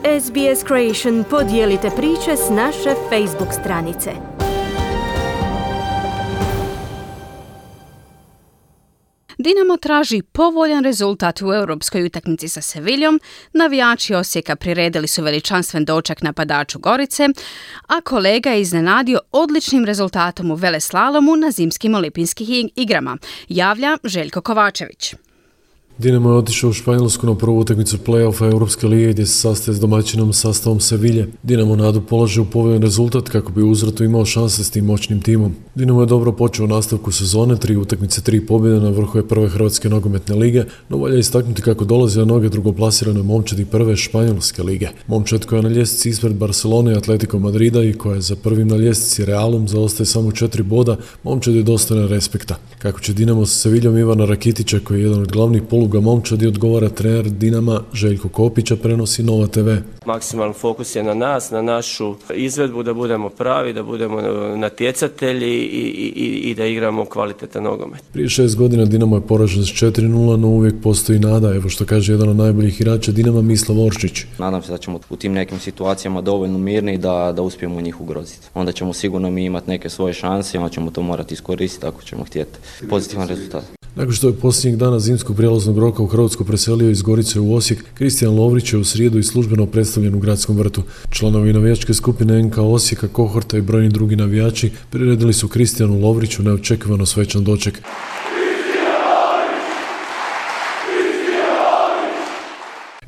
SBS Creation podijelite priče s naše Facebook stranice. Dinamo traži povoljan rezultat u europskoj utakmici sa Seviljom, navijači Osijeka priredili su veličanstven doček napadaču Gorice, a kolega je iznenadio odličnim rezultatom u veleslalomu na zimskim olimpijskim igrama, javlja Željko Kovačević. Dinamo je otišao u Španjolsku na prvu utakmicu play-offa Europske lige gdje se sastaje s domaćinom sastavom Sevilje. Dinamo nadu polaže u povoljan rezultat kako bi u uzvratu imao šanse s tim moćnim timom. Dinamo je dobro počeo u nastavku sezone, 3 utakmice, 3 pobjede, na vrhu je prve Hrvatske nogometne lige, no valja istaknuti kako dolazi na noge drugoplasirane momčadi prve Španjolske lige. Momčad koja je na ljestvici ispred Barcelone i Atletico Madrida i koja je za prvim na ljestvici Realom zaostaje samo 4 boda, momčad je dostojna respekta. Kako će Dinamo sa Seviljom Ivana Rakitića, koji je jedan od glavnih poluga momčadi, odgovara trener Dinama Željko Kopića, prenosi Nova TV. Maksimalan fokus je na nas, na našu izvedbu, da budemo pravi, da budemo natjecatelji i da igramo kvalitetan nogomet. Prije 6 godina Dinamo je poražen s 4-0, no uvijek postoji nada, evo što kaže jedan od najboljih igrača Dinama, Mislav Oršić. Nadam se da ćemo u tim nekim situacijama dovoljno mirni da uspijemo njih ugroziti. Onda ćemo sigurno mi imati neke svoje šanse i onda ćemo to morati iskoristiti ako ćemo htjeti pozitivan rezultat. Nakon što je posljednjeg dana zimskog prijelaznog roka u Hrvatsku preselio iz Gorice u Osijek, Kristijan Lovrić je u srijedu i službeno predstavljen u gradskom vrtu. Članovi navijačke skupine NK Osijeka, Kohorta i brojni drugi navijači priredili su Kristijanu Lovriću neočekivano svečan doček.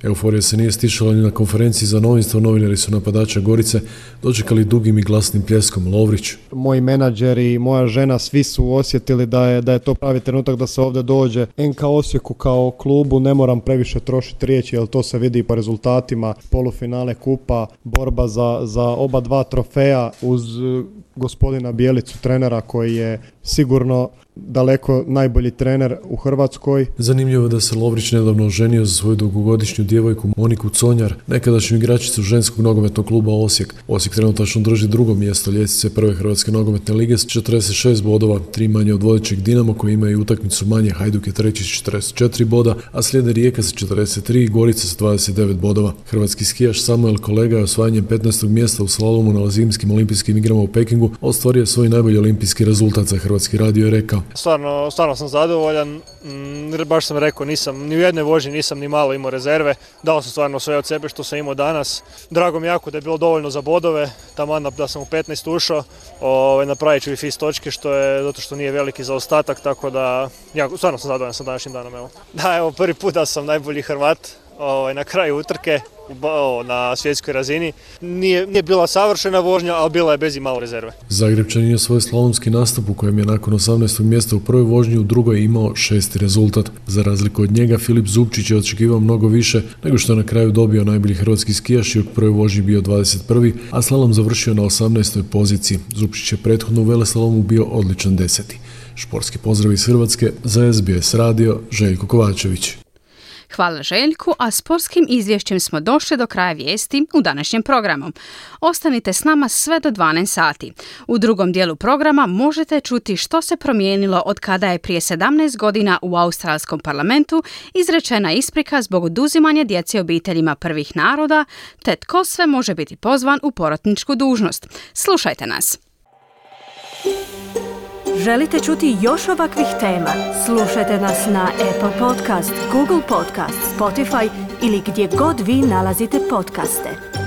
Euforija se nije stišala ni na konferenciji za novinstvo, novinari su napadača Gorice dočekali dugim i glasnim pljeskom. Lovrić. Moji menadžeri i moja žena, svi su osjetili da je to pravi trenutak da se ovdje dođe. NK Osijeku kao klubu ne moram previše trošiti riječi, jer to se vidi po rezultatima. Polufinale kupa, borba za oba dva trofeja uz gospodina Bijelicu, trenera koji je sigurno daleko najbolji trener u Hrvatskoj. Zanimljivo je da se Lovrić nedavno oženio za svoju dugogodišnju djevojku Moniku Conjar, nekadašnju igračicu ženskog nogometnog kluba Osijek. Osijek trenutačno drži drugo mjesto ljestvice prve Hrvatske nogometne lige s 46 bodova, 3 manje od vodećeg Dinamo koji ima i utakmicu manje. Hajduk je treći s 44 boda, a slijede Rijeka sa 43 i Gorica sa 29 bodova. Hrvatski skijaš Samuel Kolega je osvajanjem 15. mjesta u slalomu na zimskim olimpijskim igrama u Pekingu ostvario svoj najbolji olimpijski rezultat. Za Hrvatski radio je rekao: Stvarno sam zadovoljan, baš sam rekao, ni u jednoj vožnji nisam ni malo imao rezerve, dao sam stvarno sve od sebe što sam imao danas. Drago mi jako da je bilo dovoljno za bodove, taman da sam u 15 ušao, napravit ću i fis točke zato što nije veliki zaostatak, tako da stvarno sam zadovoljan sa današnjim danom. Evo prvi put da sam najbolji Hrvat na kraju utrke na svjetskoj razini. Nije bila savršena vožnja, ali bila je bez i malo rezerve. Zagrebčanin je svoj slalomski nastup u kojem je nakon 18. mjesta u prvoj vožnji u drugoj imao 6. rezultat. Za razliku od njega, Filip Zupčić je očekivao mnogo više nego što je na kraju dobio najbolji hrvatski skijaš i u prvoj vožnji bio 21. a slalom završio na 18. poziciji. Zupčić je prethodno u veleslalomu bio odličan 10. Športski pozdrav iz Hrvatske, za SBS radio, Željko Kovačević. Hvala Željku, a sportskim izvješćem smo došli do kraja vijesti u današnjem programu. Ostanite s nama sve do 12 sati. U drugom dijelu programa možete čuti što se promijenilo od kada je prije 17 godina u australskom parlamentu izrečena isprika zbog oduzimanja djece obiteljima prvih naroda, te tko sve može biti pozvan u porotničku dužnost. Slušajte nas. Želite čuti još ovakvih tema? Slušajte nas na Apple Podcast, Google Podcast, Spotify ili gdje god vi nalazite podcaste.